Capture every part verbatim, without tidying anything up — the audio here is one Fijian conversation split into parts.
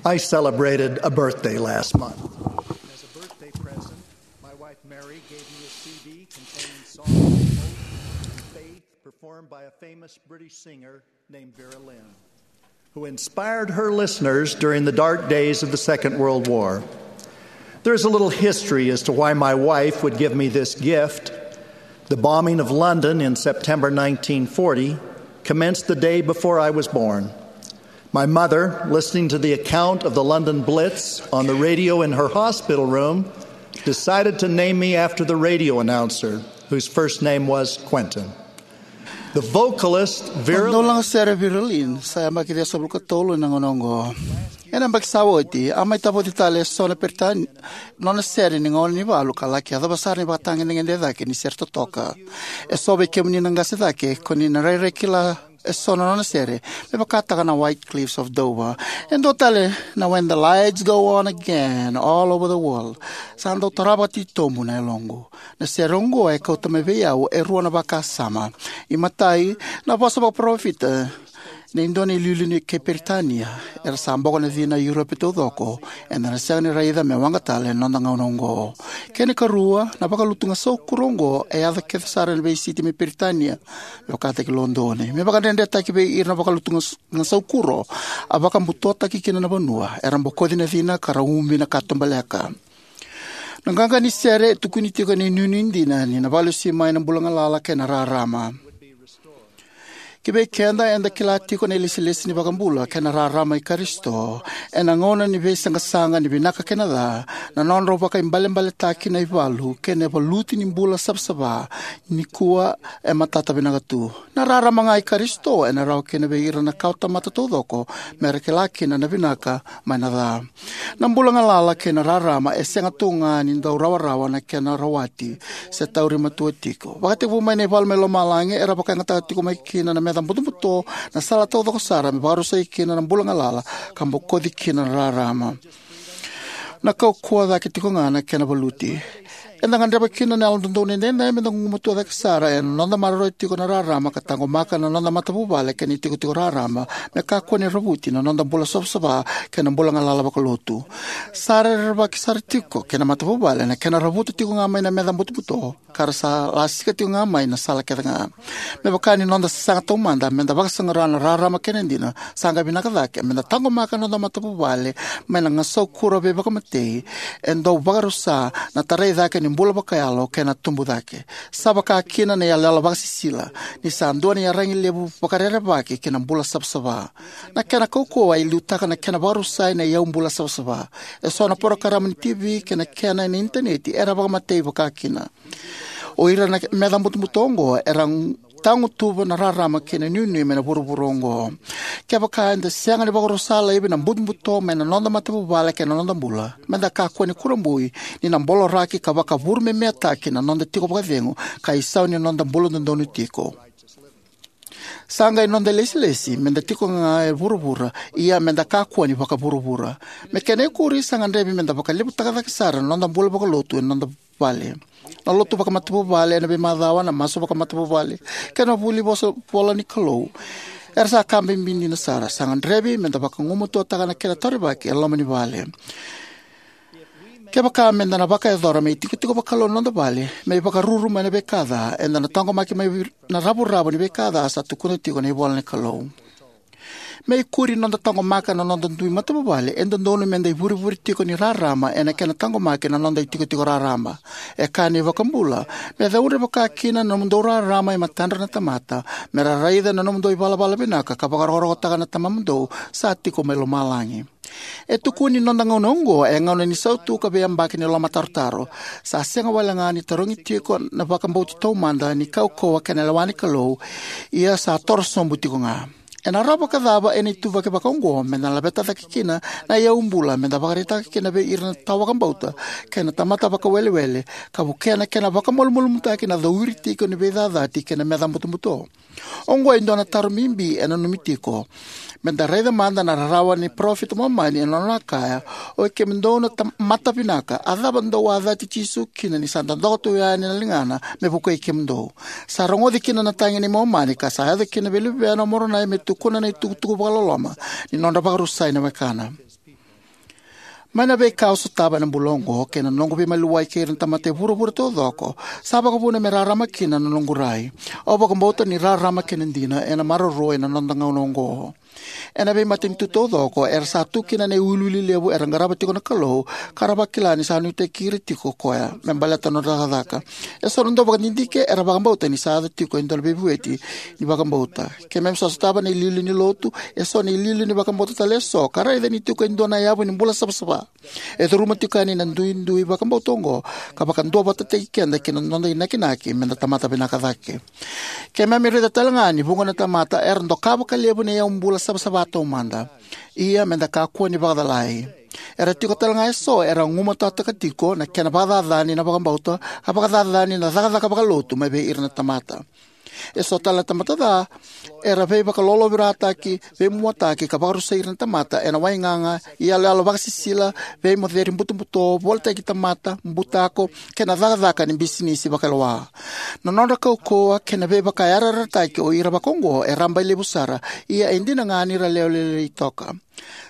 I celebrated a birthday last month. As a birthday present, my wife Mary gave me a C D containing songs of hope and faith performed by a famous British singer named Vera Lynn, who inspired her listeners during the dark days of the Second World War. There is a little history as to why my wife would give me this gift. The bombing of London in September nineteen forty commenced the day before I was born. My mother, listening to the account of the London Blitz on the radio in her hospital room, decided to name me after the radio announcer, whose first name was Quentin. The vocalist Vera Dau laga sere Vera Lynn sa yabaki ciwasagavulu ka tolu ena gauna oqo. Ena yabaki sa oti, a mai tavoci tale e so na Peritania nona sere ni gauna ni valu ka laki yacova sara ni vakatagedegede cake ni sere totoka. E so vei kemuni na qase cake, ko ni na rairai kila e so na nona sere, me vakataka na White Cliffs of Dover. E dua tale na When the Lights Go On Again All Over the World. Sa dau tarava titobu na yaloqu. Na sere oqo e kauta mai vei au e rua na vakasama. I matai, na vosa vakaparofita ni dua na iliuliu ni kei Peritania, era sa boko na cina e Europe taucoko, eda na sega ni raica me waqa tale ena noda gauna oqo. Kena ikarua, na vakalutu gasaukuro oqo e yaco kece sara ena veisiti mai Peritania, me vakataki Lodoni. Me vakadredretaki vei ira na vakalutu gas-, gasaukuro, a vakabutotaki kina na vanua, era bokoci na cina ka ra ubi na katubaleka. Na qaqa ni sere e tukuni tiko ena inuinui dina ni na vakalesui mai na bula galala kei na rarama. Ki vei keda eda kila tiko na ilesilesi ni vakabula kei na rarama i Karisito, ena gauna ni veisaqasaqa ni vinaka kei na ca, na nodrau vakaibalebaletaki na ivalu kei na valuti ni bula savasava, nikua e matata vinaka tu. Na rarama ga i Karisito ena rawa kina vei ira na kawatamata taucoko me ra kila kina na vinaka mai na ca. Na bula galala kei na rarama e sega tu ga ni dau rawarawa na kena rawati se tauri matua tiko. Vakatekivu mai na ivalu mai lomalagi era vakayagataka tiko mai kina na meca butobuto, na sala taucoko sara me vakarusai kina na bula galala ka bokoci kina na rarama. Na kaukauwa cake tiko ga na kena valuti. Eda gadreva kina na Yalododonu Edaidai meda gugumatua cake sara ena noda maroroya tiko na rarama ka taqomaka na noda matavuvale kei na itikotiko raraba, me kakua ni ravuti na noda bula savasava kei na bula galala vakalotu. Sa rerevaki sara tiko kei na matavuvale na kena ravuta tiko ga mai na meca butobuto, ka ra sa lasika tiko ga mai na sala kece ga. Me vaka ni noda sasaga taumada meda vakasaqara na rarama kei na dina, sa qai vinaka cake meda taqomaka na noda matavuvale mai na gasaukuro veivakamatei e dau vakarusa na tarai cake ni bula vakayalo kei na tubu cake. Sa vaka kina na iyaloyalo vakasisila, ni sa dua na iyaragi levu vakarerevaki kei na bula savasava. Na kena kaukauwa e liutaka na kena vakarusai na iyau bula savasava. E so na porokaramu ni T V kei na kena ena initaneti era vakamatei vaka kina. O ira na meca butobuto oqo era tagutuva na rarama kei na inuinui mai na vuravura oqo. Kevaka eda sega ni vakarusa laivi na butobuto mai na noda matavuvale kei na noda bula, meda kakua ni kurabui ni na boloraki ka vakavurumemeataki na noda tiko vakacegu ka isau ni noda bula dodonu tiko. Sa qai noda ilesilesi meda tiko ga e vuravura, ia meda kakua ni vakavuravura. Me kena ikuri, sa gadrevi meda vakalevutaka cake sara na noda bula vakalotu ena noda vale. Na lotu vakamatavuvale ena veimacawa, na masu vakamatavuvale kei na vuli vosa vola ni Kalou era sa ka bibi dina sara. Sa gadrevi meda vakagumatuataka na kena taurivaki e loma ni vale. Kevaka meda na vakayacora me itikotiko vakalou na noda vale, me ivakaruru mai na veika ca, eda na taqomaki mai na ravuravu ni veika ca sa tukuna tiko na ivola ni Kalou. Me ikuri noda taqomaka na noda dui matavuvale, e dodonu meda ivurevure tiko ni rarama ena kena taqomaki na noda itikotiko raraba. E kaya na iVakabula, me caudre vaka kina na nomudou rarama e matadra na tamata, me ra raica na nomudou ivalavala vinaka ka vakarokorokotaka na Tamamudou sa tiko mai lomalagi. E tukuni ni noda gauna oqo e gauna ni sautu ka veiyabaki ni lomatarotaro. Sa sega wale ga ni tarogi tiko na vakabauti taumada ni kaukauwa kei na lewa ni Kalou, ia sa toro sobu tiko ga. Ena rawa vakacava ena ituvaki vakaoqo meda na laveta cake kina na iyau bula meda vakaraitaka kina vei ira na tawavakabauta kei na tamata vakawelewele, ka vukea na kena vakamalumalumutaki na cowiri tiko ni veicacati kei na meca butobuto? Oqo e dua na taro bibi e nanumi tiko. Meda raica mada na rarawa ni parofita Momani ena nona kaya, "Oi kemudou na ta-, mata vinaka, a cava dou a cati Jisu kina ni sa dodoka tu yani na ligana me vukei kemudou?" Sa rogoci kina na tagi nei Momani ka sa yaco kina vei luvena o Moronai me tukuna na itukutuku vakaloloma ni nodra vakarusai na wekana. Mai na veika au sotava ena bula oqo kei na noqu veimaliwai kei ira na tamata e vuravura taucoko, sa vakavuna me rarama kina na noqu rai. Au vakabauta ni rarama kei na dina ena maroroi ena noda gauna oqo. Ena veimatanitu taucoko era sa tu kina na iwiliwili levu era qarava tiko na Kalou, ka ra vakila ni sa nuitaki ira tiko o Koya me baleta na nodra cakacaka. Eso na dauvakadidike era vakabauta ni sa yaco tiko e dua na veivueti ni vakabauta. Keimami sa sotava na iliuliu ni Lotu, eso na iliuliu ni vakabauta tale eso, ka raica ni tiko e dua na yavu ni bula savasava. E curuma tiko yani na duidui vakabauta oqo, ka vakaduavatataki keda ki na noda inakinaki me da tamata vinaka cake. Keimami raica tale ga ni vuqa na tamata era doka vakalevu na iyaubula savasava taumada. Ia me da kakua ni vakacalai. Era tiko tale ga eso era gumataka tiko na kena vakacacani na vakabauta, ka vakacacani na cakacaka vakalotu mai vei ira na tamata. Eso tale na tamata ca era veivakalolovirataki, veimuataki, ka vakarusai ira na tamata ena waigaga, iyaloyalo vakasisila, veimoceri butobuto, volitaki tamata, butako, kei na cakacaka ni bisinisi vakailoa. Na nodra kaukauwa kei na veivakayarayarataki o ira vakaoqo e rabailevu sara, ia e dina ga ni ra lewe lailai toka.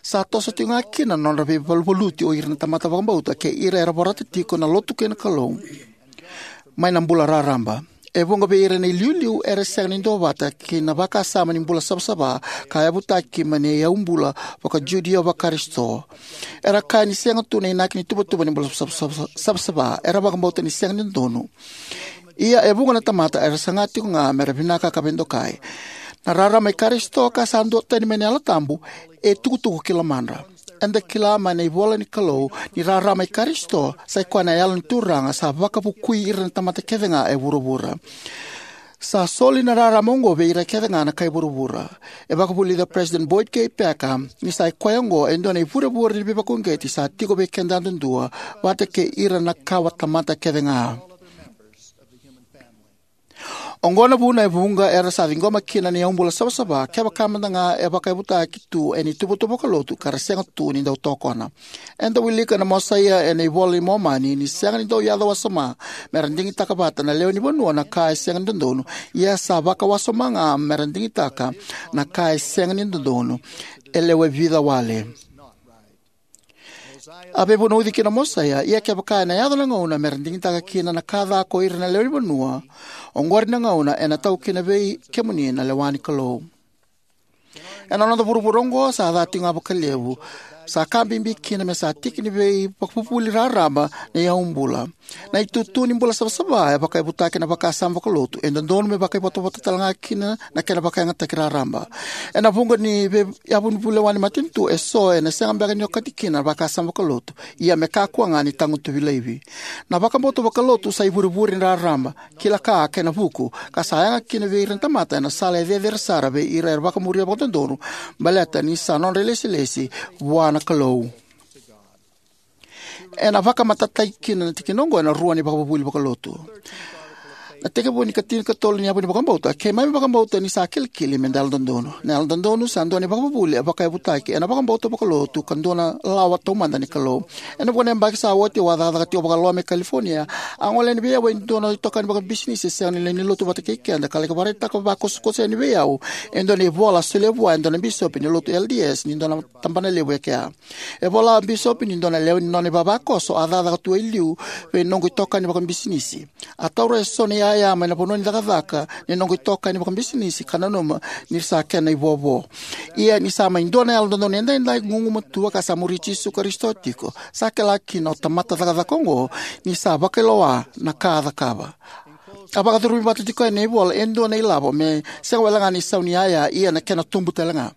Sa toso tiko ga kina na nodra veivaluvaluti o ira na tamata vakabauta kei ira era vorata tiko na Lotu kei na Kalou mai na bula raraba. E vuqa vei ira na iliuliu era sega ni duavata kei na vakasama ni bula savasava ka yavutaki mai na iyaubula vaka-Judeo vaka-Karisito. Era kaya ni sega tu na inaki ni tuvatuva ni bula savasava. Era vakabauta ni sega ni dodonu. Ia e vuqa na tamata era saga tiko ga me ra vinaka ka veidokai. Na rarama i Karisito ka sa duatani mai na Yalo Tabu e tukutuku ki lomadra. Eda kila mai na ivola ni Kalou ni rarama i Karisito sa i koya na Yalo ni Turaga sa vakavukui ira na tamata kece ga e vuravura. Sa soli na rarama oqo vei ira kece ga na kai vuravura. E vakavulica President Boyd K. Packer ni sa i koya oqo e dua na ivurevure ni veivakauqeti sa tiko vei keda yadudua, vata kei ira na kawatamata kece ga. Oqo na vuna e vuqa era sa ciqoma kina na iyaubula savasava, kevaka mada ga e vakayavutaki tu ena ituvatuva vakalotu ka ra sega tu ni dau tokona. Eda wilika na Mosaia ena iVola i Momani ni sega ni dau yaco wasoma me ra digitaka vata na lewe ni vanua na ka e sega ni dodonu, ia sa vakawasoma ga me ra digitaka na ka e sega ni dodonu. E lewe vica wale. A veivunauci kina o Mosaia, ia kevaka ena yaco na gauna me ra digitaka kina na ka ca ko ira na lewe ni vanua, oqori na gauna ena tau kina vei kemuni na lewa ni Kalou. Ena noda vuravura oqo sa ca tiko ga vakalevu, sa ka bibi kina me sa tiki ni veivakavuvuli raraba na iyaubula. Na itutu ni bula savasava e vakayavutaki ena vakasama vakalotu, e dodonu me vakaivotavota tale ga kina na kena vakayagataki raraba. Ena vuqa ni veiyavu ni vulewa ni matanitu eso ena sega beka ni okati kina na vakasama vakalotu, ia me kakua ga ni tagutuvi laivi. Na vakabauta vakalotu sa ivurevure ni raraba, kila ka kei na vuku, ka sa yaga kina vei ira na tamata ena sala e cecere sara vei ira era vakamuria vakadodonu, baleta ni sa nodra ilesilesi vua na Kalou. Ena vakamatatataki kina na tikina oqo ena rua na ivakavuvuli vakalotu. Na itekivu ni ikatinikatolu ni yavu ni vakabauta, keimami vakabauta ni sa kilikili me da yalododonu. Na yalododonu sa dua na ivakavuvuli e vakayavutaki ena vakabauta vakalotu ka dua na lawa taumada ni Kalou. Ena vuqa na yabaki sa oti au a cakacaka tiko vakaloa mai California. A gole yani vei au e dua na itokani vakabisinisi e sega ni lewe ni lotu vata kei keda ka laki vakaraitaka vakakosokoso yani vei au e dua na ivola a solia vua e dua na bisopi ni lotu L D S ni dua na tabana levu e kea. E vola o bisopi ni dua na lewe ni nona ivavakoso a cakacaka tu e liu vei noqu itokani vakabisinisi. A taura eso na iyaya mai na vanua ni cakacaka ni noqu itokani vakabisinisi ka nanuma ni sa kena ivovo. Ia ni sa mai dua na yalododonu edaidai, gugumatua ka sa muri Jisu Karisito tiko, sa kila kina o tamata cakacaka oqo ni sa vakailoa na ka a cakava. A vakacurumi vata tiko ena ivola e dua na ilavo me sega wale ga ni isau ni iyaya, ia na kena tubu tale ga.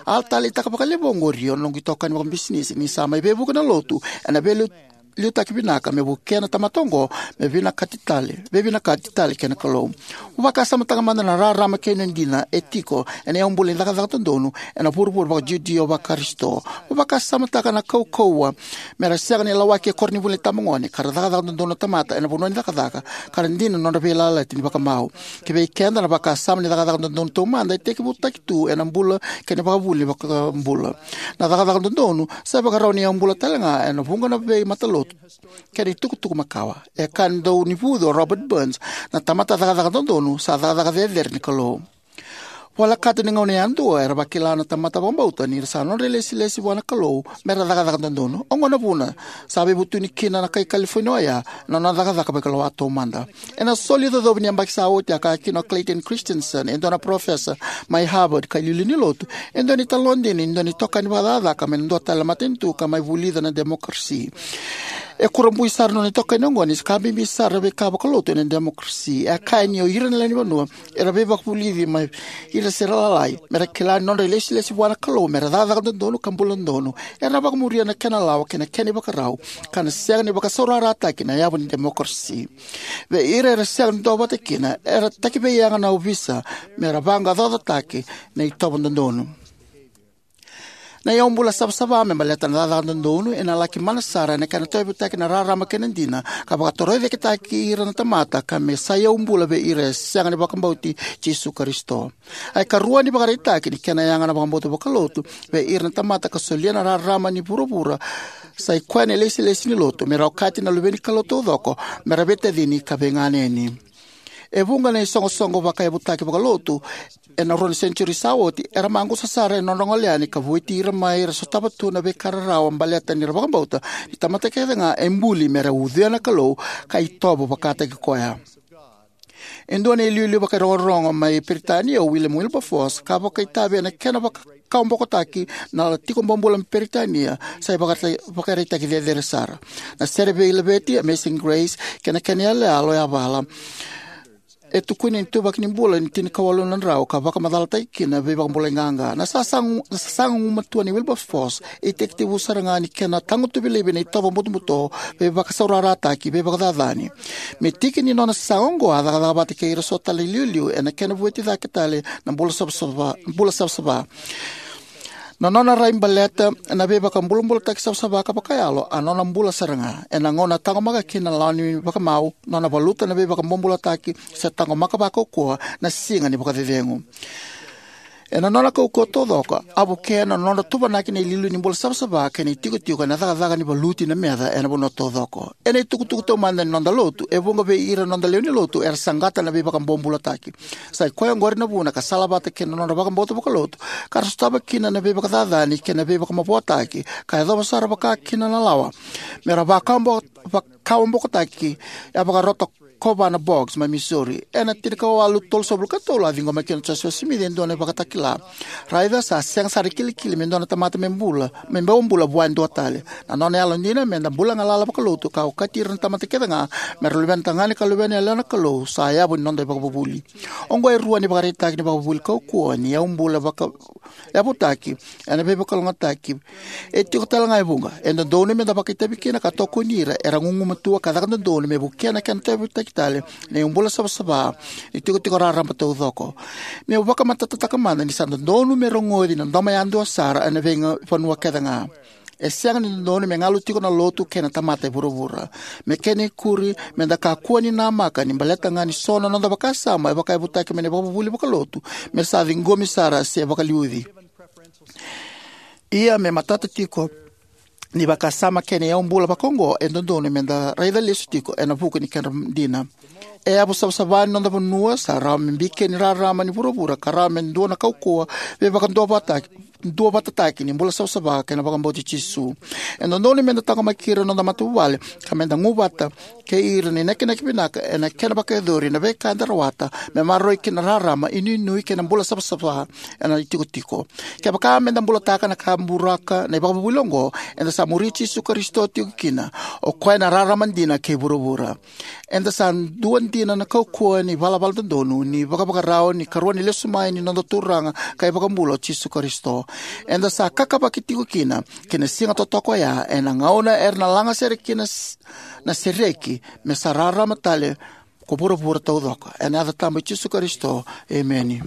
A taleitaka vakalevu oqori o noqu itokani vakabisinisi ni sa mai veivuke na lotu ena veiliutaki vinaka me vukea na tamata oqo me vinakati tale, veivinakati tale kei na Kalou. Mo vakasamataka mada na rarama kei na dina e tiko ena iyaubula ni cakacaka dodonu ena vuravura vaka-Judeo vaka-Karisito. Mo vakasamataka na kaukauwa me ra sega ni lawaki e koronivuli ni tabagone ka ra cakacaka dodonu na tamata ena vanua ni cakacaka, ka ra dina na nodra veiyalayalati ni vakamau. Ki vei keda, na vakasama ni cakacaka dodonu taumada e tekivutaki tu ena bula kei na ivakavuvuli ni vakabula. Na cakacaka dodonu sa ivakarau ni iyaubula tale ga ena vuqa na veimatalotu kei na itukutuku makawa. E kaya na daunivucu o Robert Burns, na tamata cakacaka dodonu sa cakacaka cecere ni Kalou. Volekata ni gauna yadua era vakila na tamata vakabauta ni ra sa nodra ilesilesi vua na Kalou me ra cakacaka dodonu. Oqo na vuna sa veivutuni kina na kai California oya na nona cakacaka vakailoa taumada. Ena soli icocovi ni yabaki sa oti, a kaya kina o Clayton Christensen, e dua na parofesa mai Harvard ka iliuliu ni lotu, e dua na italanoa dina ni dua na itokani vakacakacaka mai na dua tale na matanitu ka mai vulica na demokarasi. E kurabui sara na nona itokani oqo ni sa ka bibi sara na veika vakalotu ena demokarasi. E a kaya ni o ira na lewenivanua era veivakavulici mai ira se ra lalai me ra kila ni nodra ilesilesi vua na Kalou me ra cakacaka dodonu ka bula dodonu era na vakamuria na kena lawa kei na kena ivakarau, ka na sega ni vakasaurarataki na yavu ni demokarasi. Vei ira era sega ni duavata kina, era takiveiyaga na ovisa me ra vaqaqacotaki na itovo dodonu. Na iyaubula savasava me baleta na cakacaka dodonu ena laki mana sara ena kena tauyavutaki na rarama kei na dina, ka vakatorocaketaki ira na tamata ka me sa iyaubula vei ira e sega ni vakabauti Jisu Karisito. A ikarua ni vakaraitaki ni kena yaga na vakabauta vakalotu vei ira na tamata ka solia na rarama ni vuravura sa i koya na ilesilesi ni lotu, me ra okati na luve ni Kalou taucoko me ra veitacini ka veiganeni. E vuqa na isoqosoqo vakayavutaki vakalotu ena rua na senitiuri sa oti era maqusa sara ena nodra gole yani ka vueti ira mai ra sotava tu na veika rarawa baleta ni ra vakabauta ni tamata kece ga e buli me ra ucuya na Kalou ka itovo vakataki koya. E dua na iliuliu vakairogorogo mai Peritania o William Wilberforce, ka vakaitavi ena kena vaka- kawabokotaki na tiko bobula mai Peritania sa ivakaraitaki cecere sara. Na sere veilaveti Amazing Grace kei na kena iyaloyalo yavala e tukuni ena ituvaki ni bula ni tinikawalu na drau ka vakamacalataki kina na veivakabulai qaqa. Na sasaga, na sasaga gumatua nei Wilberforce e tekitekivu sara ga ni kena tagutuvi laivi na itovo butobuto, veivakasaurarataki, veivakacacani. Me tiki ni nona sasaga oqo, a cakacaka vata kei ira so tale na iliuliu ena kena vueti cake tale na bula savasava, bula savasava. Na nona rai baleta na veivakabulabulataki savasava ka vakayalo a nona bula sara ga. Ena gauna a taqomaka kina na lawa ni vakamau, nona valuta na veivakabobulataki se taqomaka vakaukauwa na siga ni vakacecegu. Ena nona kaukauwa taucoko, a vukea na nodra tuvanaki na iliuliu ni bula savasava kei na itikotiko ena cakacaka ni valuti na meca ena vanua taucoko. Ena itukutuku taumada ni noda lotu, e vuqa vei ira na noda lewe ni lotu era saqata na veivakabobulataki. Sa i koya oqori na vuna ka salavata kei na nodra vakabauta vakalotu ka ra sotava kina na veivakacacani kei na veivakamavoataki, ka yacova sara vakakina na lawa me ra vakawabo-, vakawabokotaki, e a vakarota Kovana Boggs mai Missouri. Ena tinikawalu tolusagavulu ka tolu a ciqoma kina o Josefa Simici e dua na ivakatakila. Raica sa sega sara ni kilikili me dua na tamata me bula, me bau bula vua e dua tale. Na nona yalodina me da bula galala vakalotu ka okati ira na tamata kece ga me ra luvena tagane ka luvena yalewa na Kalou sa yavu ni noda ivakavuvuli. Oqo e rua ni vakaraitaki ni vakavuvuli kaukauwa ni yaubula vaka- yavutaki ena veivakalougatataki. E tiko tale ga e vuqa e dodonu me da vakaitavi kina ka tokoni ira era gugumatua ka caka dodonu me vukea na kena tauyavutaki tale na iyaubula savasava ni tikotiko raraba taucoko. Meu vakamatatataka mada ni sa dodonu me rogoci na domo yadua sara ena veivanua kece ga. E sega ni dodonu me galu tiko na lotu kei na tamata e vuravura. Me kena ikuri, me da kakua ni namaka ni baleta ga ni so na noda vakasama e vakayavutaki mai na ivakavuvuli vakalotu me sa ciqomi sara se vakaliuci. Ia me matata tiko ni vakasama kei na iyaubula vakaoqo, e dodonu me da raica lesu tiko ena vuku ni kedra dina. E yavu savasava ni noda vanua sa rawa me bikeni rarama ni vuravura ka rawa me dua na kaukauwa veivakaduavatataki, duavatataki ni bula savasava kei na vakabauti Jisu. E dodonu me da taqomaki ira na noda matavuvale ka me da gu vata kei ira ni nakinaki vinaka ena kena vakayacori na veika eda rawata me maroroi kina na rarama, inuinui kei na bula savasava ena itikotiko. Kevaka me da bulataka na ka buraka na ivakavuvuli oqo, eda sa muri Jisu Karisito tiko kina, o koya na rarama dina kei vuravura. Eda sa dua dina na kaukauwa ni valavala dodonu ni vakavakarau ni karua ni lesu mai ni noda Turaga ka iVakabula o Jisu Karisito. Eda sa kakavaki tiko kina ki na siga totoka oya, ena gauna era na laga sere kina s-, na sereki me sa rarama tale ko vuravura taucoko. Ena yaca tabu i Jisu Karisito, emeni.